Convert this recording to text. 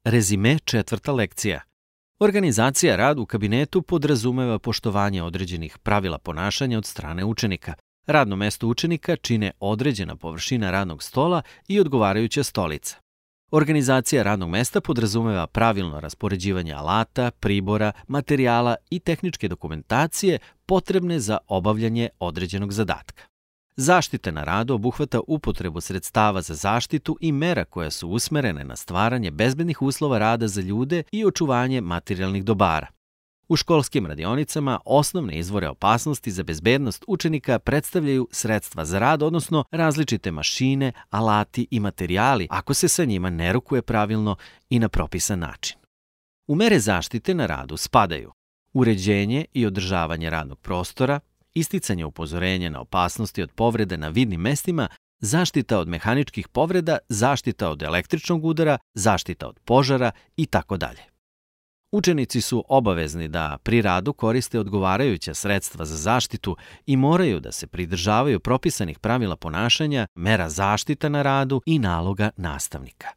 Rezime 4. lekcija. Organizacija rada u kabinetu podrazumeva poštovanje određenih pravila ponašanja od strane učenika. Radno mesto učenika čine određena površina radnog stola i odgovarajuća stolica. Organizacija radnog mesta podrazumeva pravilno raspoređivanje alata, pribora, materijala i tehničke dokumentacije potrebne za obavljanje određenog zadatka. Zaštita na radu obuhvata upotrebu sredstava za zaštitu i mera koja su usmerene na stvaranje bezbednih uslova rada za ljude i očuvanje materijalnih dobara. U školskim radionicama osnovne izvore opasnosti za bezbednost učenika predstavljaju sredstva za rad, odnosno različite mašine, alati i materijali ako se sa njima ne rukuje pravilno i na propisan način. U mere zaštite na radu spadaju uređenje i održavanje radnog prostora, isticanje upozorenja na opasnosti od povrede na vidnim mestima, zaštita od mehaničkih povreda, zaštita od električnog udara, zaštita od požara itd. Učenici su obavezni da pri radu koriste odgovarajuća sredstva za zaštitu i moraju da se pridržavaju propisanih pravila ponašanja, mera zaštita na radu i naloga nastavnika.